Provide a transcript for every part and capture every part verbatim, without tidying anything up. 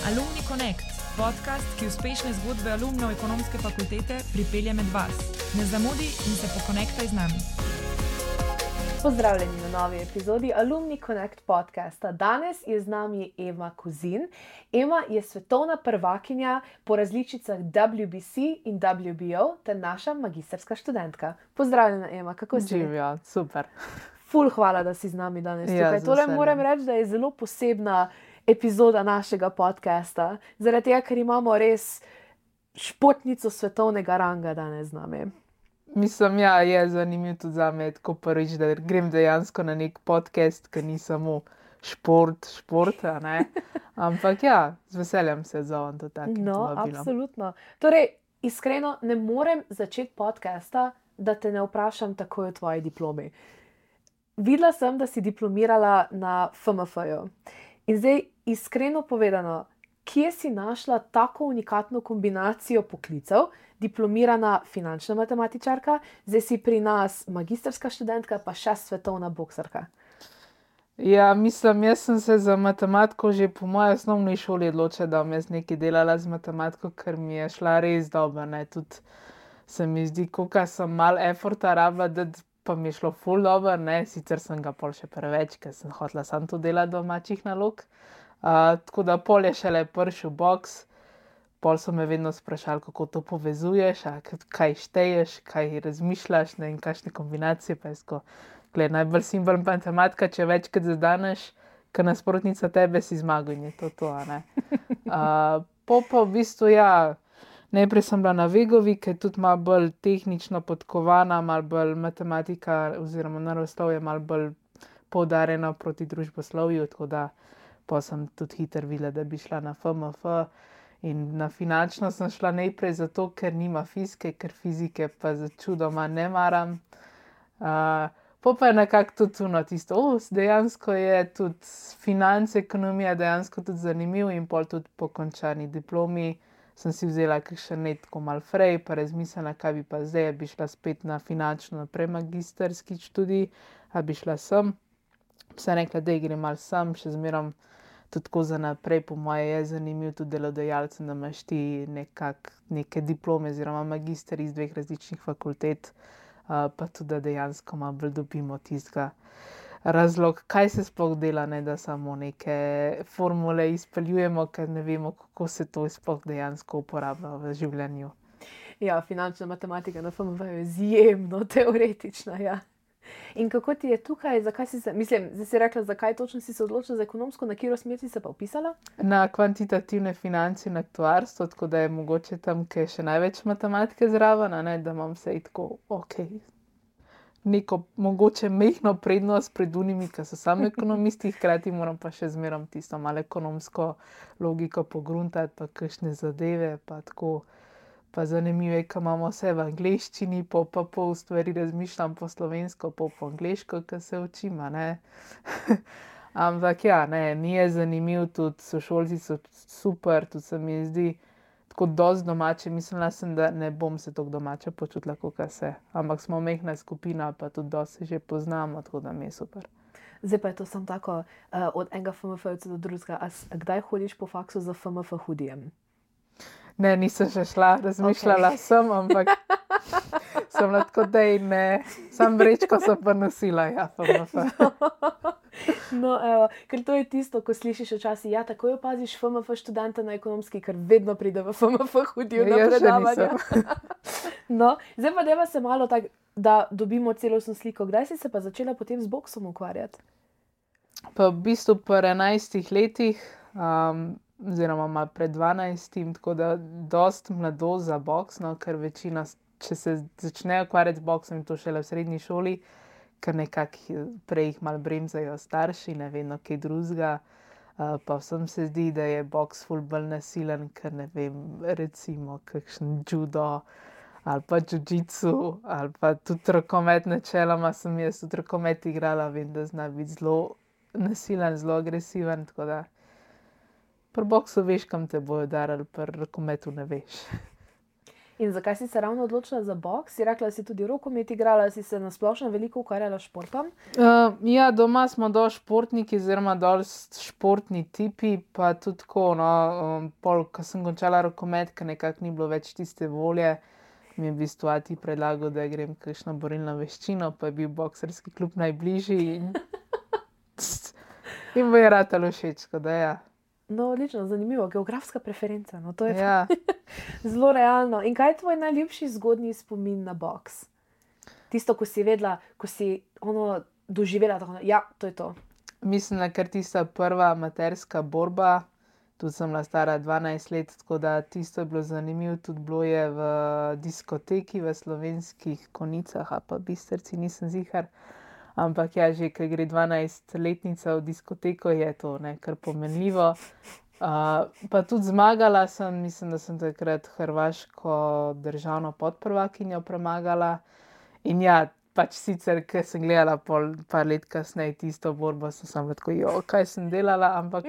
Alumni Connect, podcast, ki uspešne zgodbe alumnov ekonomske fakultete pripelje med vas. Ne zamudi in se pokonektaj z nami. Pozdravljeni na novi epizodi Alumni Connect podcasta. Danes je z nami Ema Kozin. Ema je svetovna prvakinja po različicah W B C in W B O ter naša magistrska študentka. Pozdravljena, Ema, kako si? Živijo, super. Ful, hvala, da si z nami danes Ja, tukaj. z Tole veseljem. moram reči, da je zelo posebna epizoda našega podcasta, zaradi tega, ker imamo res športnico svetovnega ranga danes z nami. Mislim, ja, je zanimivo tudi za me, tako prvič, da grem dejansko na nek podcast, ki ni samo šport, šport, a ne. Ampak ja, z veseljem se odzovem do takih No, vabilom. absolutno. Torej, iskreno ne morem začeti podcasta, da te ne vprašam takoj o tvoji diplomi. Videla sem, da si diplomirala na F M F-ju. In zdaj, iskreno povedano, kje si našla tako unikatno kombinacijo poklicev, diplomirana finančna matematičarka, zdaj si pri nas magistrska študentka, pa še svetovna boksarka. Ja, mislim, jaz sem se za matematiko že po moji osnovni šoli odločila, da bom jaz nekaj delala z matematiko, ker mi je šla res dobro, ne, tudi se mi zdi, koliko sem malo efforta rabila, da pa mi je šlo ful dobro, ne, sicer sem ga pol še preveč, ker sem hotela samo to delati domačih nalog. Uh, tako da pol je šele prišel boks, pol so me vedno sprašali, kako to povezuješ, a k- kaj šteješ, kaj razmišljaš, ne, in kakšne kombinacije, pa je sko, gled, najbolj simpel matematika, če večkrat zadaneš, ker nasprotnica tebe si zmagal in je to to, a ne. Uh, po pa v bistvu, ja, najprej sem bila na Vegovi, ki je tudi malo bolj tehnično podkovana, malo bolj matematika oziroma naravoslovje malo bolj poudarjeno proti družboslovju, tako da pa sem tudi hitro videla, da bi šla na F M F. In na finančno sem šla najprej zato, ker nima fizike, ker fizike pa za čudoma ne maram. Uh, po pa je nekako tudi tuno tisto, o, dejansko je tudi finance, ekonomija dejansko tudi zanimiv in pol tudi po končani diplomi sem si vzela kakšen let tako malo frej, pa razmislila, kaj bi pa zdaj, a bi šla spet na finančno naprej magistrski študij, a bi šla sem. Sem rekla, da grem malo sem, še zmerom tudi tako za naprej, po moje je zanimiv tudi delodajalcem, da imaš ti nekak, neke diplome oziroma magister iz dveh različnih fakultet, uh, pa tudi, da dejansko malo bolj dobimo tistega razlog, kaj se sploh dela, ne da samo neke formule izpeljujemo, ker ne vemo, kako se to sploh dejansko uporablja v življenju. Ja, finančna matematika na F M F je izjemno teoretična, ja. In kako ti je tukaj, zakaj si se, mislim, zdaj si rekla, zakaj točno si se odločila za ekonomsko, na katero smer si se pa vpisala? Na kvantitativne finance in aktuarstvo, tako da je mogoče tam, ki je še največ matematike zraven, a ne, da imam vse tako, ok, neko mogoče mehno prednost pred unimi, ki so sami ekonomisti, hkrati moram pa še zmerom tisto malo ekonomsko logiko pogruntati, pa kakšne zadeve, pa tako, pa zanimive, ki imamo vse v angleščini, po pa pol stvari razmišljam po slovensko, po po angleško, ki se učim, a ne. Ampak ja, ne, mi je zanimiv, tudi sošolci so super, tudi se mi zdi tako dosti domače, mislila sem, da ne bom se tako domače počutila, kakor se, ampak smo mehna skupina, pa tudi dosti se že poznamo, tako da mi je super. Zdaj pa je to samo tako, uh, od enega F M F-jevca do drugega. A s- a kdaj hodiš po faksu za F M F hudijem? Ne, nisem še šla, razmišljala okay. sem, ampak sem bila tako, da ne, sam vrečko sem pa nosila, ja, F M F. No, evo, ker to je tisto, ko slišiš včasih, ja, takoj opaziš F M F študenta na ekonomski, ker vedno pride v F M F hudijo na Jaz še predavanja. nisem. No, zdaj pa deva se malo tako, da dobimo celostno sliko. Kdaj si se pa začela potem z boksom ukvarjati? Pa v bistvu pri enajstih letih, um, oziroma malo pred dvanajstim, tako da dost mladost za boks, no, ker večina, s- če se začnejo ukvarjati z boksom, je to šele v srednji šoli, ker nekako prej jih malo bremzajo starši, ne vedno kaj drugega. Uh, pa vsem se zdi, da je boks ful bolj nasilen, ker ne vem, recimo kakšen judo ali pa jiu-jitsu ali pa tudi rokomet, načeloma sem jaz tudi rokomet igrala, vem, da zna biti zelo nasilen, zelo agresiven, tako da pri boksu veš, kam te bojo udarili, pri rokometu ne veš. In zakaj si se ravno odločila za boks? Si rekla, da si tudi rokomet igrala, si se na splošno veliko ukvarjala s športom? Uh, ja, doma smo dol športniki, oziroma dol športni tipi, pa tudi tako, no, um, pol, ko sem končala rokomet, ker nekako ni bilo več tiste volje, mi je v bistvu ati predlagal, da grem kakšno borilno veščino, pa je bil boksarski klub najbližji in, in bo je ratalo všeč, da ja. No, odlično, zanimivo, geografska preferenca, no, to je Ja. zelo realno. In kaj je tvoj najljubši zgodnji spomin na boks? Tisto, ko si vedela, ko si ono doživela, tako, ja, to je to. Mislim, da je kar tista prva amaterska borba, tudi sem bila stara dvanajst let, tako da tisto je bilo zanimivo, tudi bilo je v diskoteki v Slovenskih Konjicah, a pa Bistrci, nisem ziher. Ampak ja, že ko gre dvanajstletnica v diskoteko, je to ne, kar pomenljivo. Uh, pa tudi zmagala sem, mislim, da sem takrat hrvaško državno podprvakinjo premagala. In ja, pač sicer, ker sem gledala pol, par let kasneje tisto borbo, sem samo tako, jo, kaj sem delala, ampak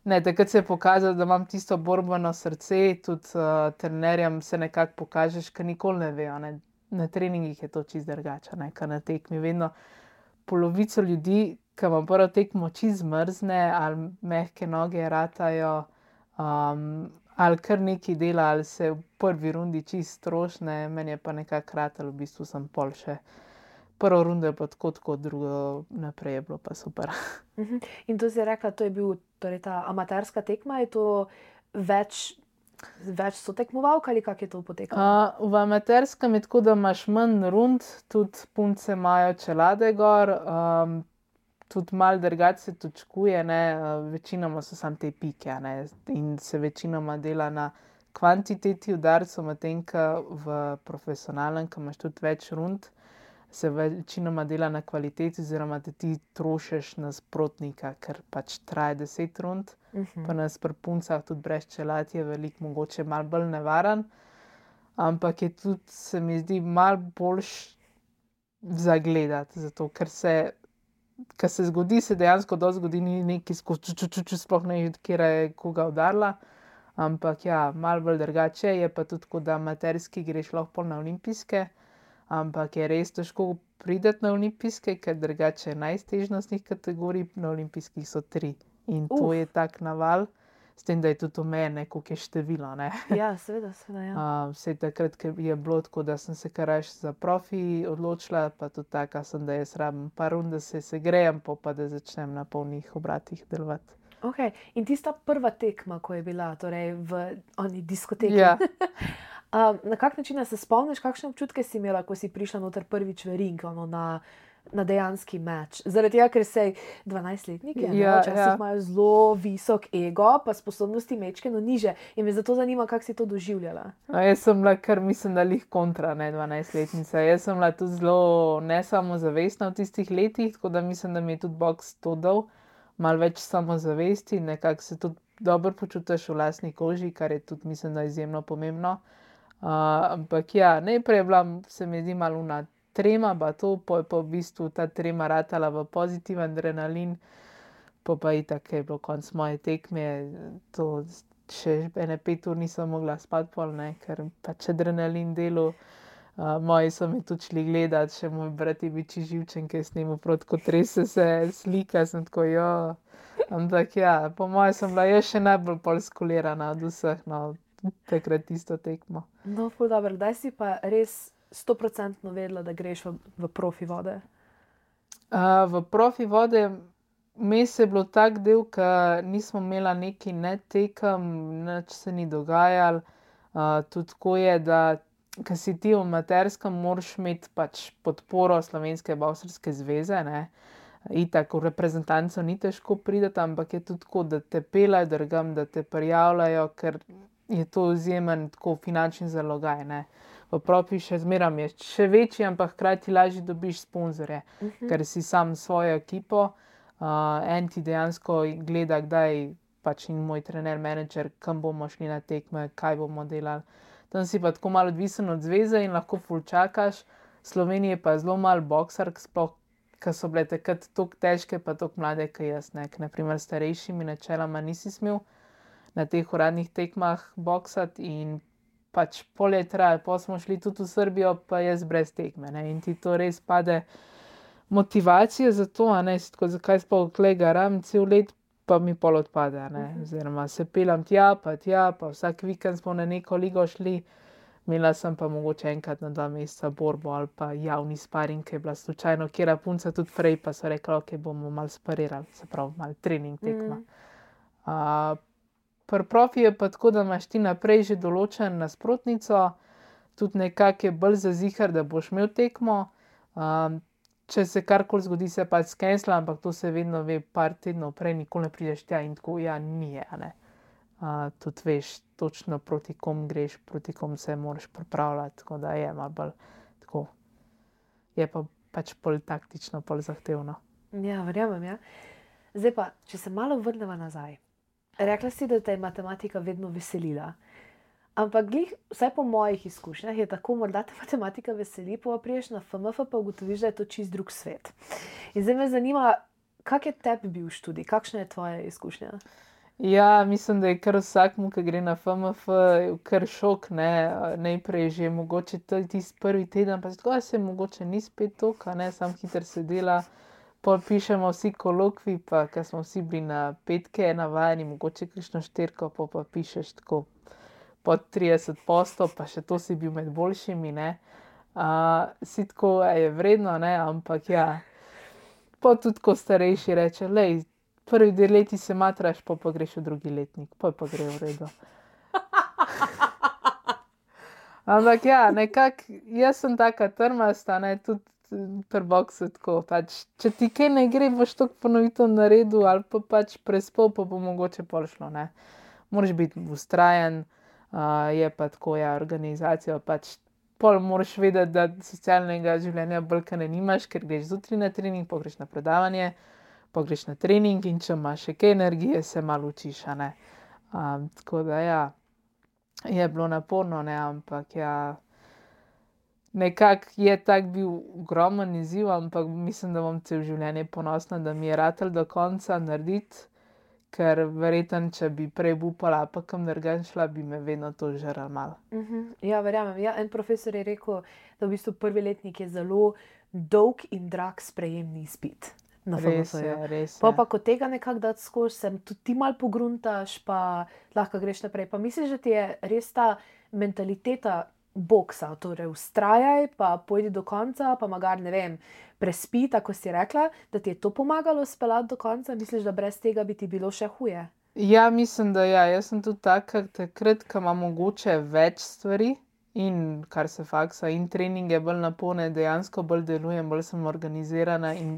ne, takrat se je pokazalo, da imam tisto borbeno srce, tudi uh, trenerjem se nekako pokažeš, ker nikoli ne vejo, ne. Na treningih je to čisto drugače, ne, kar na tekmi. Vedno polovico ljudi, ki vam prvo tekmo čisto zmrzne, ali mehke noge ratajo, um, ali kar nekaj dela, ali se v prvi rundi čisto strošne, meni je pa nekako ratalo, v bistvu sem pol še prvo rundo je pa tako, tako, drugo naprej je bilo pa super. Uh-huh. In to si rekla, to je bil torej ta amaterska tekma, je to več Več so tekmovalk ali kako je to potekalo? Uh, v amaterskem je tako, da imaš manj rund, tudi punce imajo čelade gor, um, tudi malo drugače se točkuje, ne, uh, večinoma so samo te pike, ne, in se večinoma dela na kvantiteti udarcev, medtem ko v profesionalnem, ko imaš tudi več rund, se večinoma dela na kvaliteti, oziroma da ti trošiš nasprotnika, ker pač traja deset rund. Uh-huh. Pa nas pri puncah tudi brez čelad je veliko mogoče malo bolj nevaren, ampak je tudi, se mi zdi, malo boljš zagledati, zato ker se, ker se zgodi, se dejansko dosti zgodi, ni neki skozi ču, ču, ču, ču, sploh ne vidi, kjera je koga udarila, ampak ja, malo bolj drugače je, pa tudi, ko da amaterski greš lahko pol na olimpijske, ampak je res težko prideti na olimpijske, ker drugače najtežnostnih kategorij, na olimpijskih so tri. In to Uf. je tak naval, s tem, da je tudi omejeno, koliko je število, ne. Ja, seveda, seveda, ja. Uh, vse takrat, ker je bilo tako, da sem se kar raje za profi odločila, pa tudi taka sem, da jaz rabim par rund, da se segrejem, pa pa da začnem na polnih obratih delovati. Ok, in tista prva tekma, ko je bila, torej v oni diskoteki. Ja. um, na kak način se spomniš, kakšne občutke si imela, ko si prišla noter prvič v ring, ono na na dejanski meč. Zaradi tega, ker se dvanajstletniki Ja, včasih ja. imajo zelo visok ego, pa sposobnosti mečkeno niže. In me zato zanima, kako si to doživljala. No, jaz sem bila kar, mislim, da lih kontra, ne, dvanajstletnica. Jaz sem bila tudi zelo nesamozavestna v tistih letih, tako da mislim, da mi je tudi boks to dal. Malo več samozavesti, nekako se tudi dobro počutiš v lastni koži, kar je tudi, mislim, da izjemno pomembno. Uh, ampak ja, najprej je bila, se mi zdi, malo una trema, pa to, pa je pa v bistvu ta trema ratala v pozitiven adrenalin, pa pa itak je bilo konc moje tekme, to še ene pet ur nisem mogla spati pol, ne, ker pač adrenalin delu. Uh, moji so mi tudi šli gledat, še moj brat je bil čisto živčen, ki je snimil proti, ko trese se slika, sem tako, jo. Ampak ja, po moje sem bila jaz še najbolj pol skolirana od vseh, no, takrat tisto tekmo. No, ful dobro. Kdaj si pa res stoprocentno vedela, da greš v, v profi vode? Uh, v profi vode mes je bilo tak del, ker nismo imela neki ne tekem, nič se ni dogajalo. Uh, tudi tako je, da ker si ti v amaterskem, moraš imeti pač podporo Slovenske boksarske zveze, ne. Itak v reprezentanco ni težko priti, ampak je tudi tako, da te peljajo drugam, da te prijavljajo, ker je to izjemen tako finančni zalogaj, ne. V profi še zmeram je še večji, ampak hkrati lažje dobiš sponzorje, Uh-huh. ker si sam s svojo ekipo. Uh, en ti dejansko gleda, kdaj pač in moj trener, menedžer, kam bomo šli na tekme, kaj bomo delali. Tam si pa tako malo odvisen od zveze in lahko ful čakaš. V Sloveniji je pa zelo malo boksark, sploh, ker so bile takrat toliko težke, pa toliko mlade, kot jaz, ne. Ker na primer starejšimi načeloma nisi smel na teh uradnih tekmah boksati in pač polje traja, pa smo šli tudi v Srbijo, pa jaz brez tekme, ne, in ti to res pade motivacija za to, a ne, si tako, zakaj sploh tukaj garam cel let, pa mi pol odpade, a ne, oziroma se pelam tja, pa tja, pa vsak vikend smo na neko ligo šli, imela sem pa mogoče enkrat na dva meseca borbo ali pa javni sparing, ki je bila slučajno kjera punca tudi prej, pa so rekli, ok, bomo malo sparirali, se pravi, malo trening tekma. Uh, pri profi je pa tako, da imaš ti naprej že določen nasprotnico, tudi nekako je bolj zazihar, da boš imel tekmo, um, če se karkoli zgodi, se pač skensla, ampak to se vedno ve par tednov prej, nikoli ne prideš tja in tako, ja, nije, a ne. Uh, tudi veš točno proti kom greš, proti kom se moraš pripravljati, tako da je malo bolj tako, je pa pač bolj taktično, bolj zahtevno. Ja, verjamem, ja. Zdaj pa, če se malo vrnemo nazaj. Rekla si, da te je matematika vedno veselila. Ampak glih, vsaj po mojih izkušnjah, je tako, morda te matematika veseli, pa priješ na F M F, pa ugotoviš, da je to čist drug svet. In zdaj me zanima, kak je tebi bil študij, kakšna je tvoja izkušnja? Ja, mislim, da je kar vsakmu, ki gre na F M F, kar šok, ne, najprej že mogoče tisti prvi teden, pa se tako, se mogoče ni spet toliko, ne, sam hiter se dela, pol pišemo vsi kolokvi, pa ker smo vsi bili na petke navajeni, mogoče kakšno štirko, pa pa pišeš tako pod trideset postov, pa še to si bil med boljšimi, ne. Uh, si tako, je vredno, ne, ampak ja, pa tudi ko starejši reče, lej, prvi dve leti se matraš, pa pa greš v drugi letnik, pa pa gre v redu. Ampak ja, nekako, jaz sem taka trmasta, ne, tudi pri boksu tako, pač, če ti kaj ne gre, boš toliko ponovitev naredil, ali pa pač prespol, pa bo mogoče pol šlo, ne. Moraš biti vztrajen, uh, je pa tako, ja, organizacija, pač pol moraš vedeti, da socialnega življenja bolj ne nimaš, ker greš zjutraj na trening, pa greš na predavanje, pa greš na trening in če imaš še kaj energije, se malo učiš, a ne. Um, tako da ja, je bilo naporno, ne, ampak ja, nekako je tak bil ogromen izziv, ampak mislim, da bom cel življenje ponosna, da mi je ratal do konca narediti, ker verjetno, če bi prej upala, pa kam drugam šla, bi me vedno to žrlo malo. Uh-huh. Ja, verjamem. Ja, en profesor je rekel, da v bistvu prvi letnik je zelo dolg in drag sprejemni izpit. Res je, res je. Pa pa, ko tega nekako dati skozi, se tudi ti malo pogruntaš, pa lahko greš naprej. Pa misliš, da ti je res ta mentaliteta boksa, torej vztrajaj, pa pojdi do konca, pa magar, ne vem, prespi, tako si rekla, da ti je to pomagalo speljati do konca? Misliš, da brez tega bi ti bilo še huje? Ja, mislim, da ja. Jaz sem tudi taka, takrat, ko imam mogoče več stvari in kar se faksa in treninge bolj napolne, dejansko bolj delujem, bolj sem organizirana in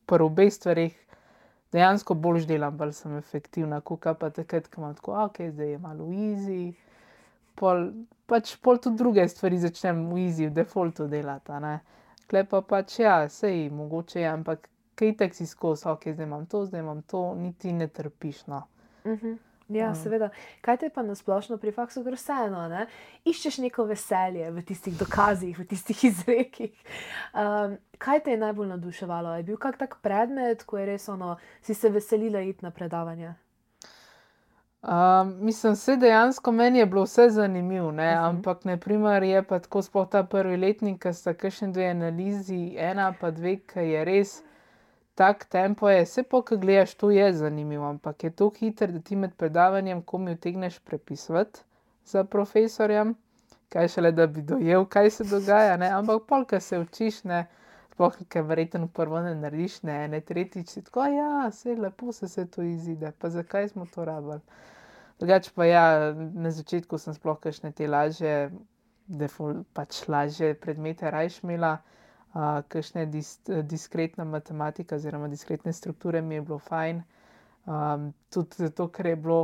pri obeh stvareh dejansko bolj delam, bolj sem efektivna, kuka pa takrat, ko imam tako, ok, zdaj je malo easy, pol, pač pol tudi druge stvari začnem v easy, v defaultu delati, a ne. Tule pa pač ja, sej mogoče je, ampak kaj itak si skozi, ok, zdaj imam to, zdaj imam to, niti ne trpiš, no. Uh-huh. Ja, um. seveda. Kaj te pa nasplošno pri faksu gre vseeno, ne? Iščeš neko veselje v tistih dokazih, v tistih izrekih. Um, kaj te je najbolj navduševalo? Je bil kak tak predmet, ko je res ono, si se veselila iti na predavanje? Um, mislim, vse dejansko meni je bilo vse zanimivo, ne, uh-huh. ampak na primer je pa tako sploh ta prvi letnik, ko sta kakšne dve analizi, ena pa dve, ki je res tak tempo je, vse po, ko gledaš, to je zanimivo, ampak je to hiter, da ti med predavanjem komi utegneš prepisovati za profesorjem, kaj šele, da bi dojel, kaj se dogaja, ne, ampak pol, ko se učiš, ne, sploh, ker verjetno prvo ne narediš, ne, ne, tretjič si tako, ja, sej lepo se se to izide, pa zakaj smo to rabili. Drugače pa ja, na začetku sem sploh kakšne te lažje, default, pač lažje predmete rajš imela, uh, kakšne dis, diskretna matematika oziroma diskretne strukture mi je bilo fajn. Um, tudi zato, ker je bilo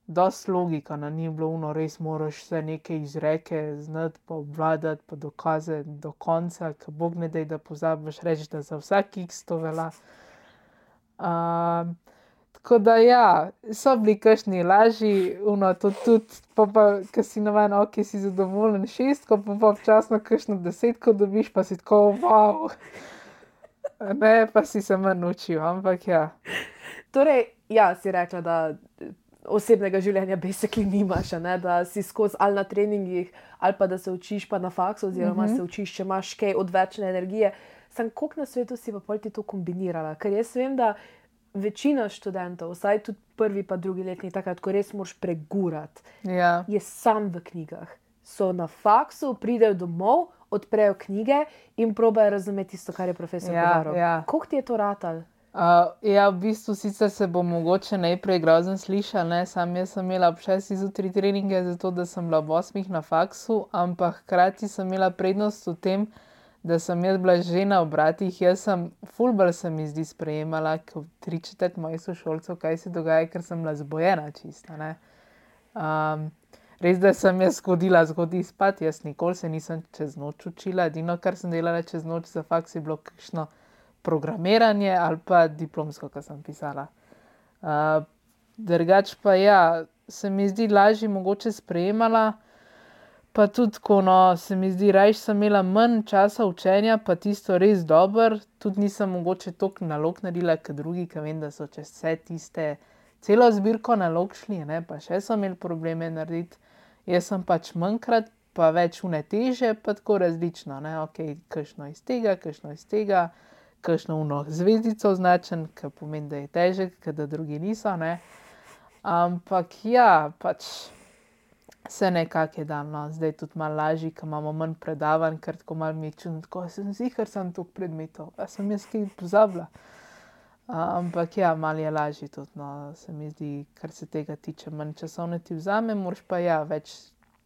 dosti logika, no, ni bilo ono, res moraš vse neke izreke znati, pa obvladati, pa dokazati do konca, ker Bog ne daj, da pozabiš reči, da za vsak x to velja. Um, Tako da ja, so bili kakšni lažji, ono to tudi, pa pa, ko si navajen, ok, si zadovoljen šestko, pa pa včasno kakšno desetko dobiš, pa si tako, wow. Ne, pa si se manj učil, ampak ja. Torej, ja, si rekla, da osebnega življenja basically nimaš, a ne, da si skozi ali na treningih, ali pa da se učiš pa na faksu, oziroma Mhm. se učiš, če imaš kaj odvečne energije. Sem koliko na svetu si pa pol ti to kombinirala? Ker jaz vem, da večina študentov, vsaj tudi prvi pa drugi letni, takrat, ko res moraš pregurati, Ja. je sam v knjigah. So na faksu, pridejo domov, odprejo knjige in probajo razumeti tisto, kar je profesor Ja, govoril. ja. Koliko ti je to ratal? Uh, ja, v bistvu sicer se bo mogoče najprej grozen slišal, ne, sam jaz sem imela ob šestih zjutraj treninge, zato da sem bila ob osmih na faksu, ampak hkrati sem imela prednost v tem, da sem jaz bila že na obratih. Jaz sem, ful bolj se mi zdi sprejemala, kot tri četrt mojih sošolcev, kaj se dogaja, ker sem bila zbojena čista, ne. Um, res, da sem jaz hodila zgodaj spat, jaz nikoli se nisem čez noč učila, edino, kar sem delala čez noč za faks, je bilo kakšno programiranje ali pa diplomsko, kar sem pisala. Uh, drugač pa ja, se mi zdi lažje mogoče sprejemala, pa tudi ko no, se mi zdi, rajš sem imela manj časa učenja, pa tisto res dobro, tudi nisem mogoče toliko nalog naredila, kot drugi, ker vem, da so čez vse tiste, celo zbirko nalog šli, ne, pa še so imeli probleme narediti. Jaz sem pač manjkrat, pa več une teže, pa tako različno, ne, ok, kakšno iz tega, kakšno iz tega, kakšno uno zvezdico označen, ki pomeni, da je težek, ker da drugi niso, ne. Ampak ja, pač se nekako je dal, no. Zdaj tudi malo lažje, ker imamo manj predavanj, ker tako malo mi je čudno, tako sem ziher sem toliko predmetov, a sem jaz kaj pozabila. Uh, ampak ja, malo je lažje tudi, no, se mi zdi, kar se tega tiče, manj časovne ti vzame, moraš pa ja, več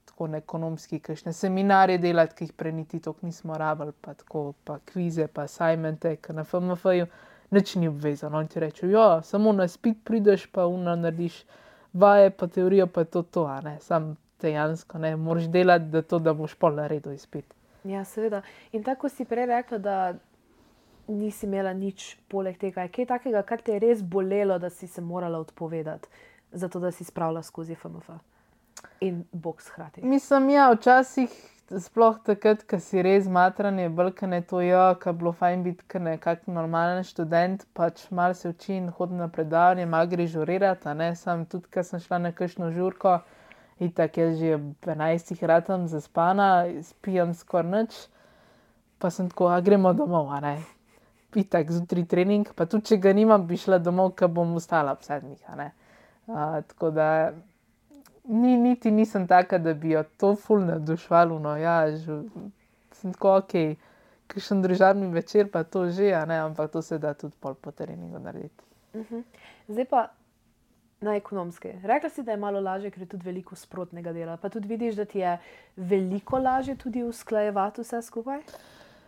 tako na ekonomski, kakšne seminarje delati, ki jih prej niti toliko nismo rabili, pa tako, pa kvize, pa assignmente, ker na F M F-ju nič ni obvezano. Oni ti rečejo, ja, samo na izpit prideš, pa uno narediš vaje, pa teorijo, pa je to to, a ne, sam dejansko, ne, moraš delati, da to, da boš pol naredil izpit. Ja, seveda. In tako si prej rekla, da nisi imela nič poleg tega. Je kaj takega, kar te je res bolelo, da si se morala odpovedati, zato da si spravila skozi F M F in boks hkrati? Mislim, ja, včasih, sploh takrat, ko si res matran, je bolj, ker ne to, ja, ko je bilo fajn biti kar nekak normalen študent, pač malo se uči in hodi na predavanje, malo gre žurirati, a ne, sam tudi, ko sem šla na kakšno žurko, itak jaz že ob enajstih ratam zaspana, spijem skoraj nič, pa sem tako, a gremo domov, a ne. Itak zjutraj trening, pa tudi, če ga nimam, bi šla domov, ker bom ostala ob sedmih, a ne. Uh, tako da ni, niti nisem taka, da bi jo to ful navduševalo, no ja, že, sem tako, okej, kakšen družabni večer, pa to že, a ne, ampak to se da tudi pol po treningu narediti. Uh-huh. Zdaj pa na ekonomske. Rekla si, da je malo lažje, ker je tudi veliko sprotnega dela, pa tudi vidiš, da ti je veliko lažje tudi usklajevati vse skupaj?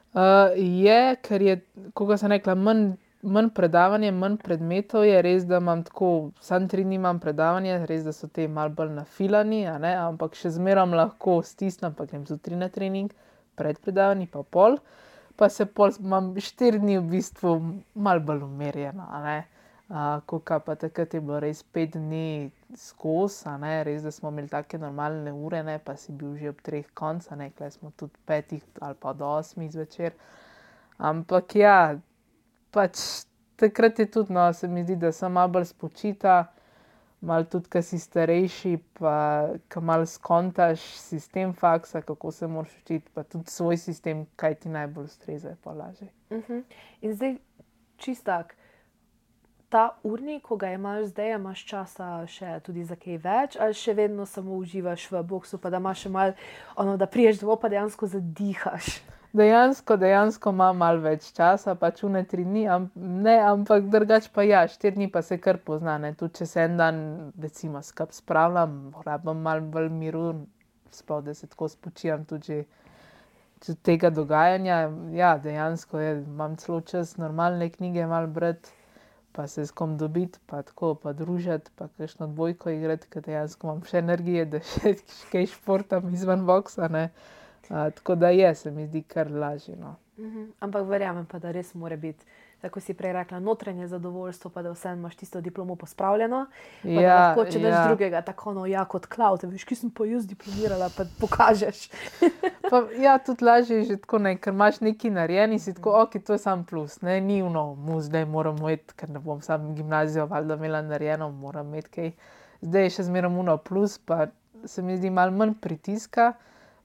Uh, je, ker je, kako sem rekla, manj, manj predavanje, manj predmetov, je res, da imam tako, sam tri dni imam predavanje, res, da so te malo bolj nafilani, a ne, ampak še zmerom lahko stisnem, pa grem zjutraj na trening, pred predavanji pa pol, pa se pol, imam štiri dni v bistvu malo bolj umirjeno, a ne. Uh, Kuka pa takrat je bilo res pet dni skozi, a ne, res, da smo imeli take normalne ure, ne, pa si bil že ob treh konc, a ne, kle smo tudi petih ali pa do osmih zvečer. Ampak ja, pač takrat je tudi, no, se mi zdi, da sem malo bolj spočita, malo tudi, ko si starejši, pa ko malo skontaš sistem faksa, kako se moraš učiti, pa tudi svoj sistem, kaj ti najbolj ustreza, je pa lažje. Uh-huh. In zdaj čist tak, ta urnik, ko ga imaš zdaj, imaš časa še tudi za kaj več, ali še vedno samo uživaš v boksu, pa da imaš še malo, ono, da priješ domov, pa dejansko zadihaš? Dejansko, dejansko imam malo več časa, pač une tri dni, am, ne, ampak drugače pa ja, štiri dni pa se kar pozna, ne, tudi če se en dan, recimo, skup spravljam, rabim malo bolj miru, sploh, da se tako spočijam tudi že tega dogajanja, ja, dejansko je, imam celo čas normalne knjige malo brati, pa se s kom dobiti, pa tako, pa družiti, pa kakšno dvojko igrati, ker dejansko imam še energije, da še kaj športam izven boksa, ne. Uh, tako da je, se mi zdi kar lažje, no. Uh-huh. Ampak verjamem pa, da res mora biti, tako si prej rekla, notranje zadovoljstvo, pa da vseeno imaš tisto diplomo pospravljeno, pa Ja, da lahko, če daš ja. drugega, tako ono, ja, kot cloud, veš, ki sem pa jaz diplomirala, pa pokažeš. Pa, ja, tudi lažje je že tako, ne, ker imaš nekaj narejen in si tako, ok, to je sam plus, ne, ni ono, mu zdaj moram imeti, ker ne bom sam gimnazijo valjda imela narejeno, moram imeti kaj zdaj je še zmeraj uno plus, pa se mi zdi malo manj pritiska,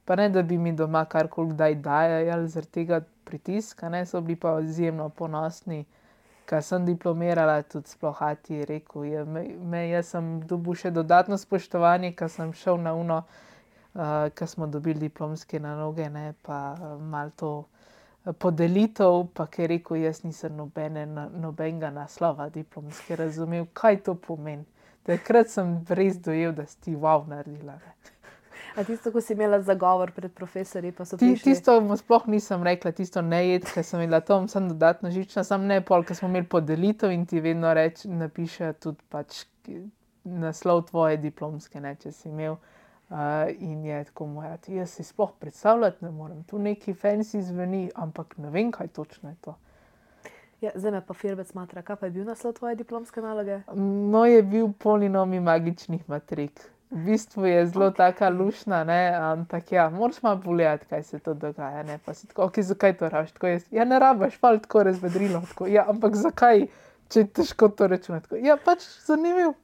pa ne, da bi mi doma karkoli kdaj dajali zaradi tega pritiska, ne, so bili pa izjemno ponosni. Ko sem diplomirala, tudi sploh ati je rekel, je, me, me, jaz sem dobil še dodatno spoštovanje, ko sem šel na uno, uh, ko smo dobili diplomske naloge, ne, pa uh, malo to podelitev, pa ki je rekel, jaz nisem nobene, nobenega naslova diplomske razumel, kaj to pomeni. Takrat sem res dojel, da si ti wow naredila. Ne. A tisto, ko si imela zagovor pred profesorji, pa so Ti, prišli? tisto mu sploh nisem rekla, tisto ne jed, ker sem imela to, sem dodatno žična, sam ne pol, ker smo imeli podelitev in ti vedno reč, napiše tudi pač naslov tvoje diplomske, ne, če si imel. Uh, in je tako moja, jaz si sploh predstavljati ne morem, tu neki fancy zveni, ampak ne vem, kaj točno je to. Ja, zdaj me pa Firbec matra, kaj pa je bil naslov tvoje diplomske naloge? Moj je bil polinomi magičnih matrik. V bistvu je zelo okay. taka lušna, ne, ampak ja, moraš malo pogledati, kaj se to dogaja, ne, pa si tako, ok, zakaj to rabiš, tako jaz, ja, ne rabiš, fal tako razvedrilo, tako, ja, ampak zakaj, če je težko to računati, tako, ja, pač zanimiv.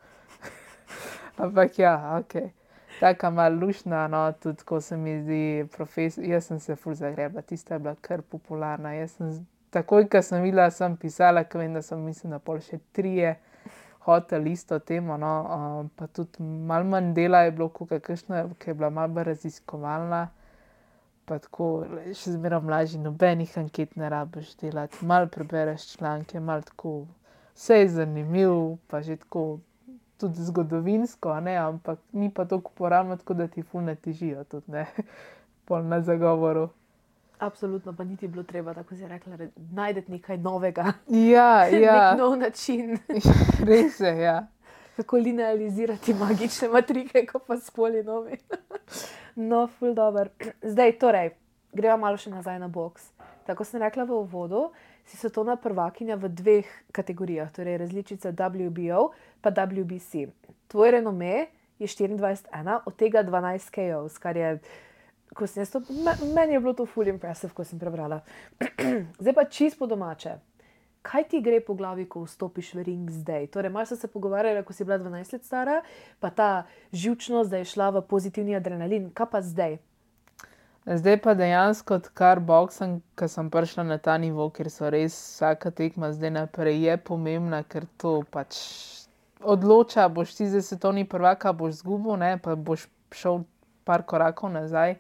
Ampak ja, ok. Taka malo lušna, no, tudi ko se mi zdi profesor, jaz sem se ful zagrebla, tista je bila kar popularna, jaz sem, takoj, ko sem videla, sem pisala, ko vem, da sem mislim, da pol še trije hotel isto temo, no, um, pa tudi malo manj dela je bilo, kakšno, ki je bila malo bolj raziskovalna, pa tako, še zmeraj mlađi, nobenih anket ne rabiš delati, malo prebereš članke, malo tako, vse je zanimiv, pa že tako, tudi zgodovinsko, ne, ampak ni pa toliko uporabno, tako da ti ful ne težijo tudi, ne, pol na zagovoru. Absolutno, pa niti bilo treba, tako si rekla, najdeti nekaj novega. Ja, ja. Nek nov način. Res je, ja. Kako linealizirati magične matrike, ko pa s polinomi. No, ful dober. Zdaj, torej, greva malo še nazaj na boks. Tako sem rekla v uvodu, si svetovna prvakinja v dveh kategorijah, torej različica W B O pa W B C. Tvoj renome je štiriindvajset ena, od tega dvanajst K Os, kar je, ko sem jaz to, meni je bilo to ful impressive, ko sem prebrala. Zdaj pa čisto po domače. Kaj ti gre po glavi, ko vstopiš v ring zdaj? Torej, malo so se pogovarjali, ko si bila dvanajst let stara, pa ta živčnost, da je šla v pozitivni adrenalin. Kaj pa zdaj? Zdaj pa dejansko, odkar boksam, ko sem prišla na ta nivo, ker so res vsaka tekma zdaj naprej je pomembna, ker to pač odloča, boš ti zdaj svetovni prvak, boš zgubil, ne, pa boš šel par korakov nazaj.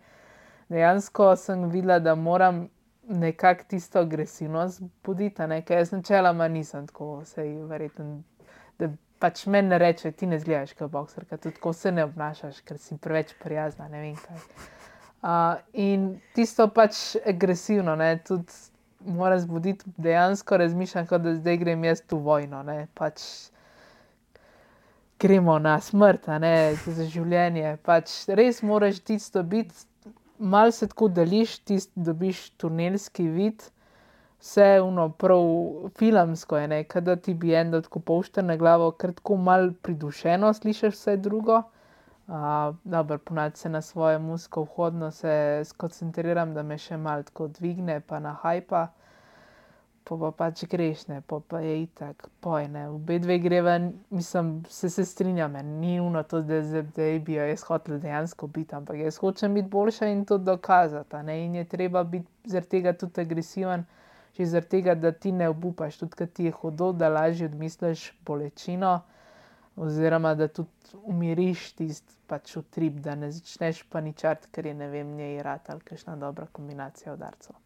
Dejansko sem videla, da moram nekako tisto agresivnost buditi, ne, ker jaz načeloma nisem tako, sej verjetno, da pač meni ne reče, ti ne zgledaš kot bokserka, tudi tako se ne obnašaš, ker si preveč prijazna, ne vem kaj. Uh, in tisto pač agresivno, ne, tudi moram zbuditi, dejansko razmišljam, kot da zdaj grem jaz tu vojno, ne, pač gremo na smrt, a ne, za življenje, pač res moraš tisto biti, malo se tako deliš, tisto dobiš tunelski vid, vse ono prav filmsko je, ne, kada ti bi en dal tako polšter na glavo, ker tako malo pridušeno slišiš vse drugo. Uh, dobro, ponavadi se na svoje muziko vhodno se skoncentriram, da me še malo tako dvigne, pa na hajpa, pa pa pač greš, ne, pa pa je itak, poj, ne, obe dve greva, mislim, se se strinjam, ni uno to, da zdaj bi jo jaz hotel dejansko biti, ampak jaz hočem biti boljša in to dokazati, ne, in je treba biti zaradi tega tudi agresiven, že zaradi tega, da ti ne obupaš, tudi kad ti je hudo, da lažje odmisliš bolečino, oziroma da tudi umiriš tisti pač utrip, da ne začneš paničariti, ker je, ne vem, njej rat ali kakšna dobra kombinacija udarcev.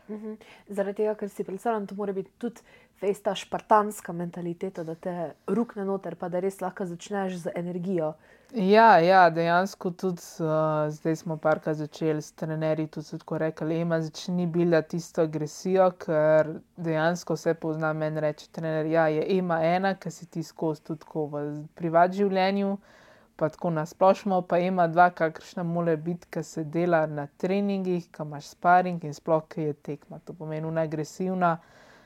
Mhm. Zaradi tega, ker si predstavljam, to mora biti tudi fejs ta špartanska mentaliteta, da te rukne noter, pa da res lahko začneš z energijo. Ja, ja, dejansko tudi uh, zdaj smo parkrat začeli s trenerji, tudi so tako rekli, Ema, začni buildati tisto agresijo, ker dejansko vse pozna, meni reče trener, ja, je Ema ena, ki si ti skozi tudi tako v privat življenju, pa tako nasplošno, pa Ema dva, kakršna mora biti, ki se dela na treningih, ki imaš sparing in sploh, ki je tekma. To pomeni una agresivna,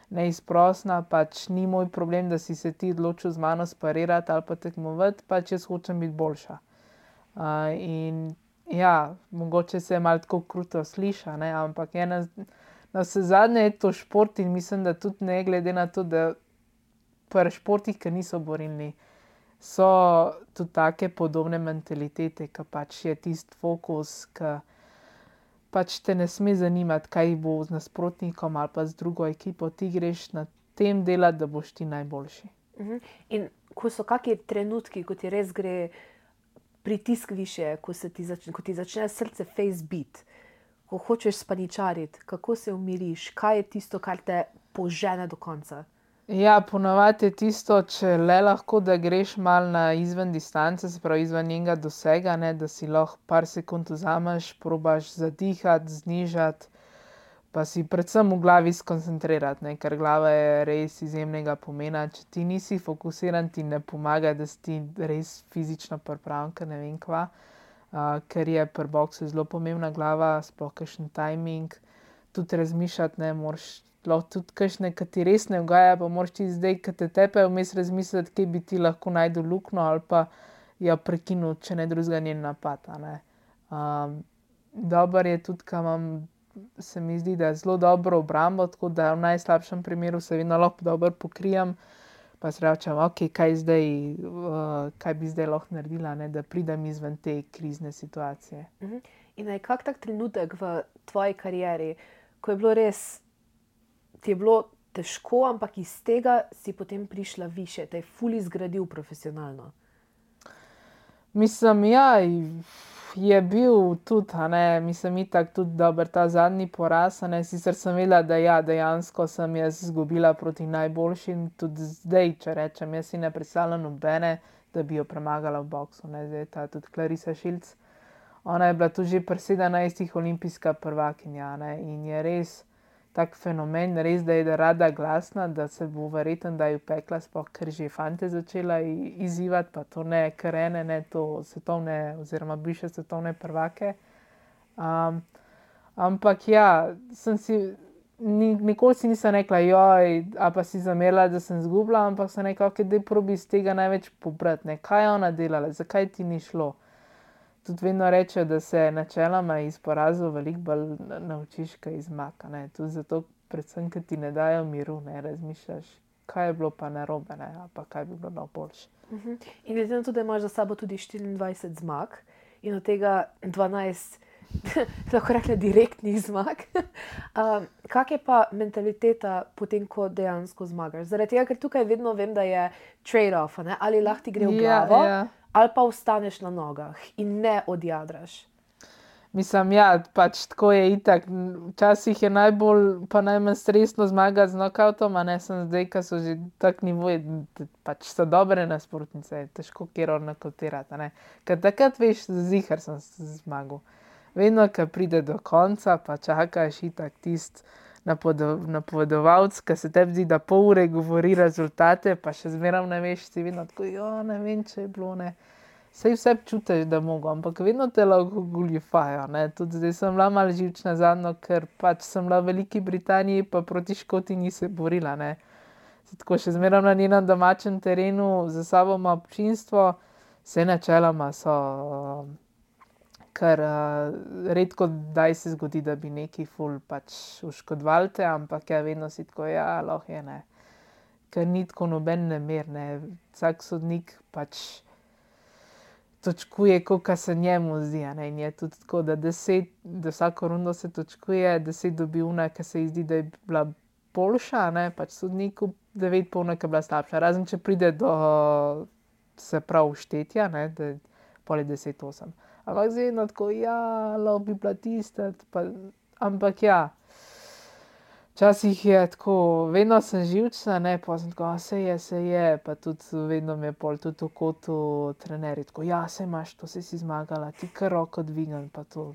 neizprosna, pač ni moj problem, da si se ti odločil z mano sparirati ali pa tekmovati, pač jaz hočem biti boljša. Uh, in ja, mogoče se je malo tako kruto sliša, ne, ampak ena, na vse zadnje je to šport in mislim, da tudi ne glede na to, da pri športih, ki niso borilni, so tudi take podobne mentalitete, ki pač je tisti fokus, ki pač te ne sme zanimati, kaj bo z nasprotnikom ali pa z drugo ekipo, ti greš na tem delati, da boš ti najboljši. Uh-huh. In ko so kakšni trenutki, ko ti res gre pritisk više, ko, se ti, začne, ko ti začne srce face beat, ko hočeš spaničariti, kako se umiriš, kaj je tisto, kar te požene do konca? Ja, ponavadi je tisto, če le lahko, da greš malo na izven distance, se pravi izven njenega dosega, ne, da si lahko par sekund vzameš, probaš zadihati, znižati, pa si predvsem v glavi skoncentrirati, ne, ker glava je res izjemnega pomena. Če ti nisi fokusiran, ti ne pomaga, da si ti res fizično pripravljen, ker ne vem kva, uh, ker je pri boksu zelo pomembna glava, sploh kakšen timing, tudi razmišljati, ne, moraš lahko tudi kakšne, ki ti res ne ugaja, pa moraš ti zdaj, ki te tepe, vmes razmisliti, kje bi ti lahko najdel luknjo ali pa jo prekinil, če ne drugega njen napad. Um, dober je tudi, ka imam, se mi zdi, da je zelo dobro obrambo, tako da v najslabšem primeru se vedno lahko dobro pokrijem, pa se rečem, ok, kaj zdaj, uh, kaj bi zdaj lahko naredila, ne, da pridem izven te krizne situacije. Uh-huh. In je kak tak trenutek v tvoji karieri, ko je bilo res, ti je bilo težko, ampak iz tega si potem prišla više, te je ful izgradil profesionalno? Mislim, ja, je bil tudi, a ne, mislim, itak tudi dober ta zadnji poraz, a ne, sicer sem vedela, da ja, dejansko sem jaz izgubila proti najboljšim, tudi zdaj, če rečem, jaz si ne predstavljam nobene, da bi jo premagala v boksu, ne, zdaj ta tudi Clarissa Shields, ona je bila tudi že pri sedemnajstih olimpijska prvakinja, ne, in je res tak fenomen, res, da je rada glasna, da se bo verjetno, da je upekla, sploh ker že fante začela izzivati, pa to ne karene, ne to svetovne oziroma bivše svetovne prvake. Um, ampak ja, sem si, ni, nikoli si nisem rekla, joj, a pa si zamerila, da sem zgubila, ampak sem rekla, ok, daj probi iz tega največ pobrati, ne, kaj je ona delala, zakaj ti ni šlo. Tudi vedno rečejo, da se načeloma iz porazov veliko bolj naučiš, kaj iz zmag, ne. Tudi zato, predvsem, ker ti ne dajo miru, ne, razmišljaš, kaj je bilo pa narobe, ne, ali pa kaj bi bilo najboljše. Uh-huh. In glede na to, da imaš za sabo tudi štiriindvajset zmag in od tega dvanajst, lahko rekla, direktnih zmag, um, kak je pa mentaliteta potem, ko dejansko zmagaš? Zaradi tega, ker tukaj vedno vem, da je trade-off, ne, ali lahko ti gre v glavo, Ja, ja. ali pa ostaneš na nogah in ne odjadraš. Mislim, ja, pač tako je itak. Včasih je najbolj, pa najmanj stresno zmagati z knockoutom, a ne sem zdaj, ko so že tak nivoji, pač so dobre nasprotnice, težko kjer odnokautirati, a ne. Ker takrat veš, ziher sem zmagal. Vedno, ko pride do konca, pa čakaš itak tist napovedovalec, ki se tebi zdi, da pol ure govori rezultate, pa še zmeraj ne veš, si vedno tako, jo, ne vem, če je bilo, ne. Saj vse čutiš, da mogo, ampak vedno te lahko goljufajo, ne. Tudi zdaj sem bila malo živčna zadnjo, ker pač sem bila v Veliki Britaniji, pa proti Škoti ni se borila, ne. Tako še zmeraj na njenem domačem terenu, za sabo ima občinstvo, vse načeloma so, ker uh, redko daj se zgodi, da bi neki ful pač oškodovali te, ampak ja, vedno si tako, ja, lahko je, ne. Ker ni tako noben nemer, ne. Vsak sodnik pač točkuje, koliko se njemu zdi, a ne, in je tudi tako, da deset, da vsako rundo se točkuje, deset dobi ona, ki se ji zdi, da je bila boljša, ne, pač sodniku, devet pa ona, ki je bila slabša, razen če pride do, se pravi, štetja, ne, da pol je deset osem. Ampak zdaj vedno tako, ja, lahko bi bila tista, pa, ampak ja, včasih je tako, vedno sem živčna, ne, pa sem tako, se je, se je, pa tudi vedno me je pol tudi v kotu trenerji tako, ja, se imaš to, se si zmagala, ti kar roko dvignem, pa to.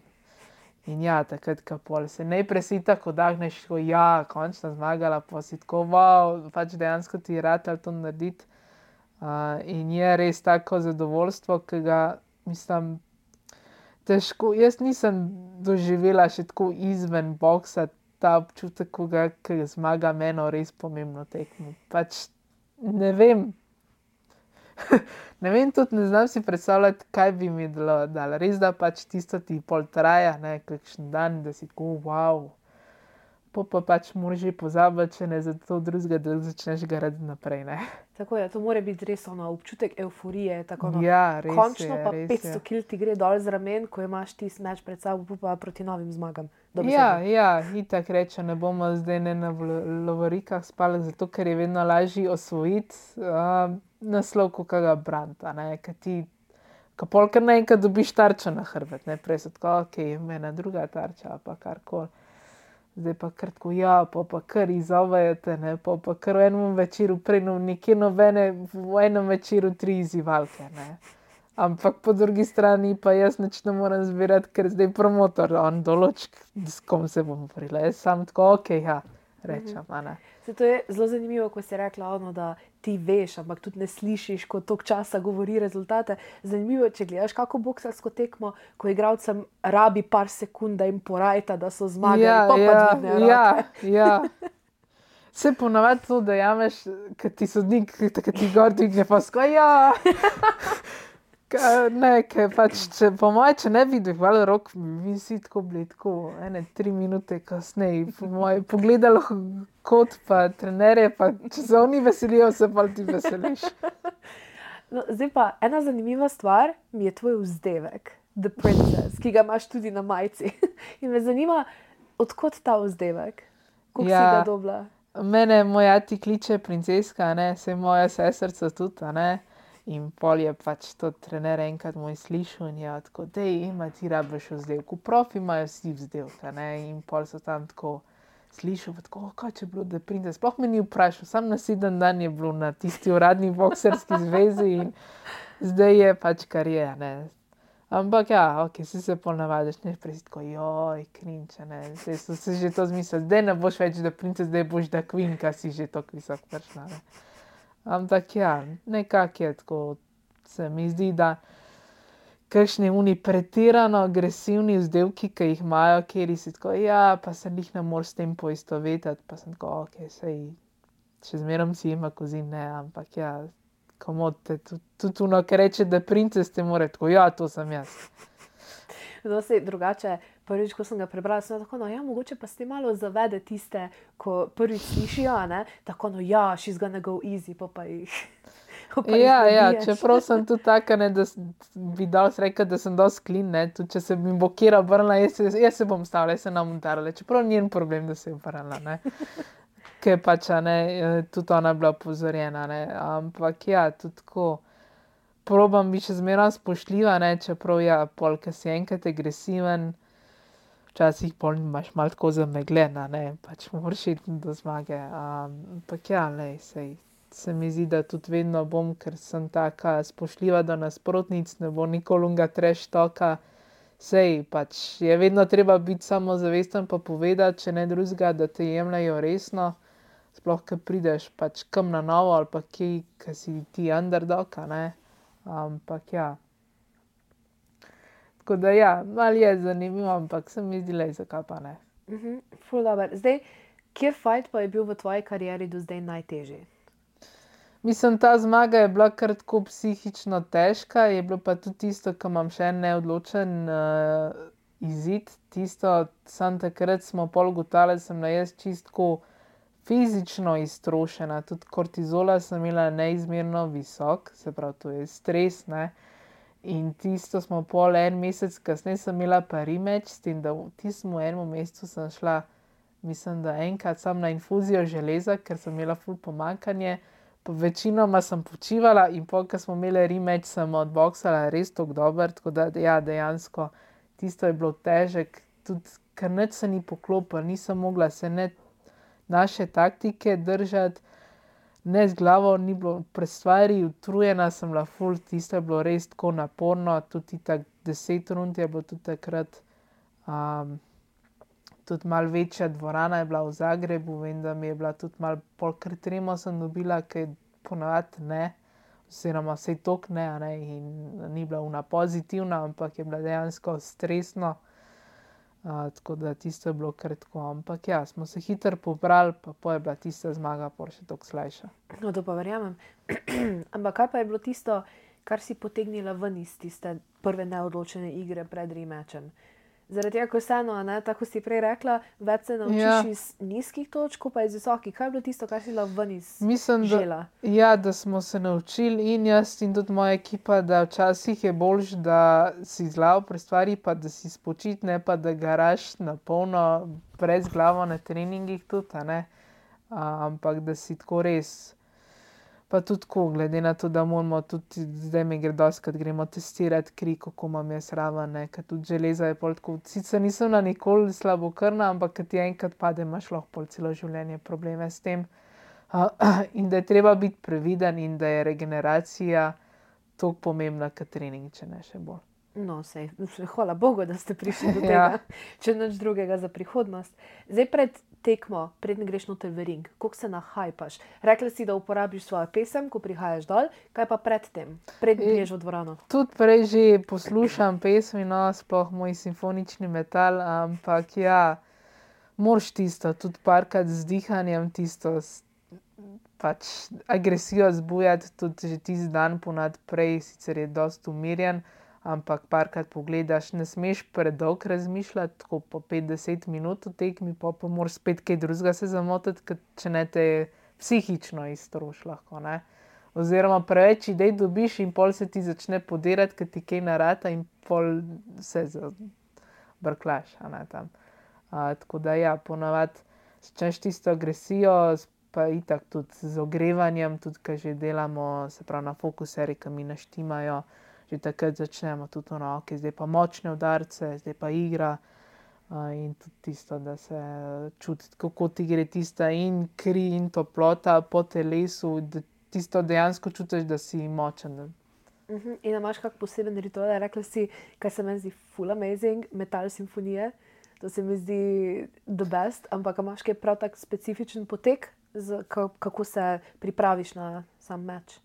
In ja, takrat, ko pol se najprej si tako dahneš, tako, ja, končno zmagala, pa si tako, wow, pač dejansko ti je ratalo to narediti. Uh, in je res tako zadovoljstvo, ki ga, mislim, težko, jaz nisem doživela še tako izven boksa ta občutek, ko ga, ki zmaga meno res pomembno tekmo. Pač ne vem, ne vem, tudi ne znam si predstavljati, kaj bi mi dalo. Res, da pač tisto ti pol traja, ne, kakšen dan, da si tako, wow. po pa pač moraš že pozabiti, če ne za to drugega, da začneš garati naprej. Ne? Tako je, to mora biti res ono, občutek evforije. Tako, no, Ja, res končno je, pa res petsto je. kil ti gre dol z ramen, ko imaš ti meč pred sabo, pa proti novim zmagam. Ja, Dobesedno. ja, itak reče, ne bomo zdaj ne na vl- lovorikah spali, zato ker je vedno lažje osvojiti uh, naslov, kot ga branta. Ker ti, ko polkar naenkrat dobiš tarčo na hrbet, ne, prej so tako, ok, ena druga tarča, pa karkoli. Zdaj pa kar tako, ja, pa pa kar izzovejo te, ne, pa pa kar v enem večeru, prej no, nekje nobene, v enem večeru tri izzivalke, ne. Ampak po drugi strani pa jaz nič ne morem zbirati, ker zdaj promotor, on določ, s kom se bom borila. Jaz sam tako, ok, ja, rečem, a ne. Se to je zelo zanimivo, ko si rekla, ono, da ti veš, ampak tudi ne slišiš, ko toliko časa govori rezultate. Zanimivo je, če gledaš kako boksarsko tekmo, ko igralcem rabi par sekund, da jim porajta, da so zmagali, Ja, pa pa ja, dvignejo ja, roke. ja. Se ponavadi to, da jameš, kad ti sodnik, kad ti gor dvigne, pa sko, ja. Ka- Ne, ker pač, če, po moje, če ne bi dvigovali rok, bi si tako bili tako, ene tri minute kasneje, po moje, pogledali kot pa trenerje, pa če se oni veselijo, se pa ti veseliš. No, zdaj pa ena zanimiva stvar mi je tvoj vzdevek, The Princess, ki ga imaš tudi na majici. In me zanima, odkot ta vzdevek? Kako si Ja. ga dobila? Mene moj ati kliče princeska, ne, se moja sestrica tudi, a ne. In pol je pač to trener enkrat moj slišal in je tako, dej, ima ti rabiš vzdevku. Profi imajo vsi vzdevka, ne, in pol so tam tako slišal, pa tako, kaj če je bilo, da prinde. Sploh me ni vprašal, sam naslednji dan je bilo na tisti uradni bokserski zvezi in zdaj je pač kar je, ne. Ampak ja, ok, si se pol navadiš, ne, prej si tako, joj, cringe, ne, zdaj so se že to zmislili, zdaj ne boš več da princes, zdaj boš da queen, ka si že tako visok prišla, ne. Ampak ja, nekako je tako, se mi zdi, da kakšni oni pretirano agresivni vzdevki, ki jih imajo, kjer si tako, ja, pa se njih ne moreš s tem poistovetiti, pa sem tako, ok, sej, še zmerom si ima kozin, ne, ampak ja, komot te, tudi, tudi ono, ki reče, da princes te more, tako, ja, to sem jaz. No, sej drugače, prvič, ko sem ga prebrala, sem bila tako, no ja, mogoče pa s tem malo zavede tiste, ko prvič slišijo, a ne, tako, no ja, she's gonna go easy, pa pa jih, pa pa jih Ja, ja, nabiješ. čeprav sem tudi taka, ne, da s- bi dal rekel, da sem dosti clean, ne, tudi če se mi bo kera obrnila, jaz, se- jaz se bom stavila, jaz se ne bom tarala, čeprav njen problem, da se je obrnila, ne. Ker pač, a ne, eh, tudi ona je bila opozorjena, ne, ampak ja, tudi tako, probam biti še zmeraj spoštljiva, ne, čeprav ja, pol, ke si enkrat agresiven, včasih pol imaš malo tako zamegljen, a ne, pač moraš iti do zmage, um, ampak ja, lej, sej, se mi zdi, da tudi vedno bom, ker sem taka spoštljiva do nasprotnic, ne bo nikoli onega trash talka, sej, pač je vedno treba biti samozavesten pa povedati, če ne drugega, da te jemljejo resno, sploh, ke prideš pač kam na novo ali pa kje, ke si ti underdog, a ne, ampak ja. Tako da ja, malo je zanimivo, ampak se mi zdi, lej, zakaj pa ne. Mhm, ful dobro. Zdaj, kjer fight pa je bil v tvoji karieri do zdaj najtežji? Mislim, ta zmaga je bila kar tako psihično težka, je bilo pa tudi tisto, ko imam še en neodločen uh, izid, tisto, samo takrat smo pol ugotavljali, da sem bila jaz čistko fizično iztrošena, tudi kortizola sem imela neizmerno visok, se pravi, to je stres, ne. In tisto smo pol en mesec kasneje sem imela pa rematch, s tem, da v tistem enem mesecu sem šla, mislim, da enkrat samo na infuzijo železa, ker sem imela ful pomanjkanje, pa večinoma sem počivala in pol, ko smo imeli rematch, sem odboksala res tako dobro, tako da ja, dejansko tisto je bilo težek, tudi ker nič se ni poklopilo, nisem mogla se ne naše taktike držati, ne z glavo ni bilo pri stvari, utrujena sem bila ful, tisto je bilo res tako naporno, tudi tako deset rund je bilo tudi takrat, um, tudi malo večja dvorana je bila v Zagrebu, vem, da mi je bila tudi malo pol kar tremo sem dobila, ker ponavadi ne, oziroma saj toliko ne, a ne, in ni bila ona pozitivna, ampak je bila dejansko stresno. Uh, tako da tisto je bilo kar tako, ampak ja, smo se hitro pobrali, pa pol je bila tista zmaga pol še toliko slajša. No, to pa verjamem. Ampak kaj pa je bilo tisto, kar si potegnila ven iz tiste prve neodločene igre pred rematchem? Zaradi tega, ko vseeno, ne, tako si prej rekla, več se naučiš Ja. iz nizkih točk, pa iz visokih. Kaj je bilo tisto, kar si lahko ven iz Mislim, da, žela? ja, da smo se naučili in jaz in tudi moja ekipa, da včasih je boljš, da si z glavo pri stvari, pa da si spočit, ne pa da garaš na polno, brez glavo na treningih tudi, a ne. A, ampak da si tako res, pa tudi tako, glede na to, da moramo tudi, zdaj mi gre dostikrat, gremo testirati kri, kako imam jaz raven, ne, ker tudi železa je pol tako, sicer nisem bila nikoli slabokrvna, ampak ko ti enkrat pade, imaš lahko pol celo življenje probleme s tem. Uh, in da je treba biti previden in da je regeneracija toliko pomembna kot trening, če ne še bolj. No, sej, hvala Bogu, da ste prišli do tega, Ja. če nič drugega za prihodnost. Zdaj pred tekmo, predn greš noter v ring, koliko se nahajpaš? Rekla si, da uporabiš svojo pesem, ko prihajaš dol, kaj pa pred tem, predn E- greš v dvorano? Tudi prej že poslušam pesmi, no, sploh moj simfonični metal, ampak ja, moraš tisto, tudi parkrat z dihanjem, tisto s- pač agresijo zbujati, tudi že tisti dan ponad prej, sicer je dosti umirjen, ampak parkrat pogledaš, ne smeš predolgo razmišljati, tako po pet do deset minut v tekmi, pol pa moraš spet kaj drugega se zamotiti, ker če ne te psihično iztroši lahko, ne. Oziroma preveč idej dobiš in pol se ti začne podirati, ker ti kaj ne rata in pol se zabrklaš, a ne, tam. A, tako da ja, ponavadi začneš tisto agresijo, s- pa itak tudi z ogrevanjem, tudi ko že delamo, se pravi na fokuserji, ki mi naštimajo, že takrat začnemo tudi ono, okej, zdaj pa močne udarce, zdaj pa igra. A, in tudi tisto, da se čuti, kako ti gre tista in kri in toplota po telesu, da tisto dejansko čutiš, da si močen. Da, Mhm. In imaš kak poseben ritual? Rekla si, kaj se meni zdi full amazing, metal simfonije, to se mi zdi the best, ampak a imaš kaj prav tak specifičen potek, z, ka- kako se pripraviš na sam meč?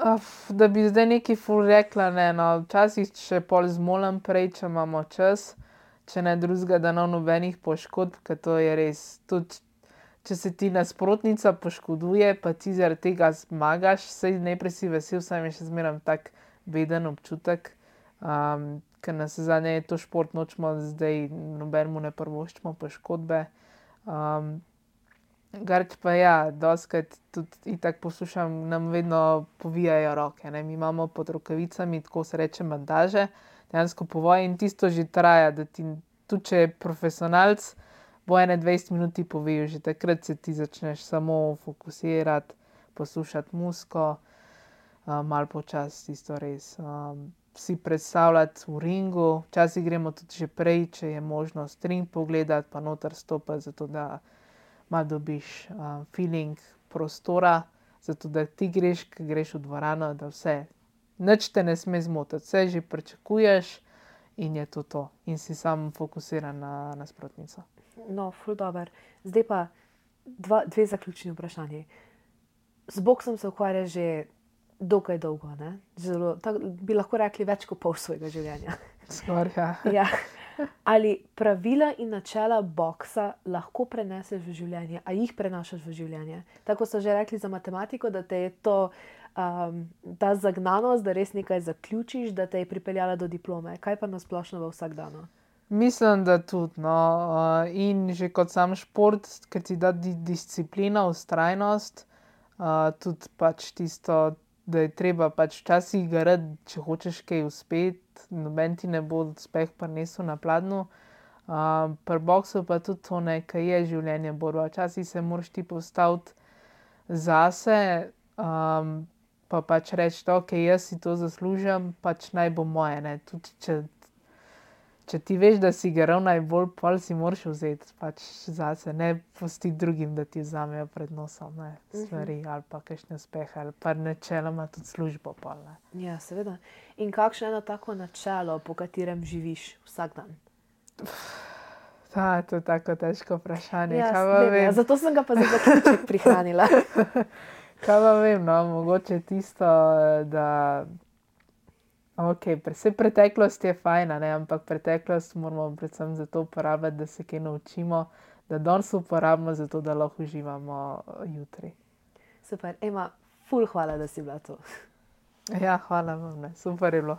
Uf, da bi zdaj nekaj ful rekla, ne, no, včasih še pol zmolim prej, če imamo čas, če ne drugega, da ne nobenih poškodb, ker to je res, tudi če se ti nasprotnica poškoduje, pa ti zaradi tega zmagaš, saj najprej si vesel, samo je še zmeraj tak beden občutek, um, ker navsezadnje je to šport, nočemo zdaj nobenemu ne privoščimo poškodbe. Um, Garč pa ja, dostikrat tudi itak poslušam, nam vedno povijajo roke, ne, mi imamo pod rokavicami, tako se reče, bandaže, dejansko povoje in tisto že traja, da ti, tudi če je profesionalec, bo ene dvajset minut ti povejo, že takrat se ti začneš samo fokusirati, poslušati muziko, um, malo počasi tisto res, um, si predstavljati v ringu, včasih gremo tudi že prej, če je možnost ring pogledati, pa noter stopiti, zato da malo dobiš uh, feeling prostora, zato da ti greš, ko greš v dvorano, da vse, nič te ne sme zmotiti, vse že pričakuješ in je to to. In si sam fokusiran na nasprotnico. No, ful dober. Zdaj pa dva, dve zaključni vprašanji. Z boksom se ukvarjaš že dokaj dolgo, ne? Zelo, tak, bi lahko rekli več kot pol svojega življenja. Skoraj, ja. Ja. Ali pravila in načela boksa lahko preneseš v življenje, a jih prenašaš v življenje? Tako so že rekli za matematiko, da te je to, um, ta zagnanost, da res nekaj zaključiš, da te je pripeljala do diplome. Kaj pa nasplošno v vsakdanu? Mislim, da tudi, no, uh, in že kot sam šport, ker ti da di disciplina, vztrajnost, uh, tudi pač tisto, da je treba pač včasih garati, če hočeš kaj uspeti, noben ti ne bo uspeh prinesel na pladnju. Uh, pri boksu pa tudi to, ne, ke je življenje borba. Včasih se moraš ti postaviti zase, um, pa pač reči, okej, jaz si to zaslužim, pač naj bo moje, ne. Tudi če, če ti veš, da si ga ravno najbolj, pol si moraš vzeti pač zase, ne pustiti drugim, da ti vzamejo pred nosom, ne, stvari ali pa kakšne uspehe ali pa načeloma tudi službo pol, ne. Ja, seveda. In kakšno je eno tako načelo, po katerem živiš vsak dan? Ta, to je tako težko vprašanje, Ja, kaj pa vem, ja, vem. zato sem ga pa za zaključek prihranila. Kaj pa vem, no, mogoče tisto, da okej, saj preteklost je fajn, a ne, ampak preteklost moramo predvsem zato uporabljati, da se kaj naučimo, da danes uporabimo zato, da lahko uživamo jutri. Super, Ema, ful hvala, da si bila tu. Ja, hvala vam, ne, super je bilo.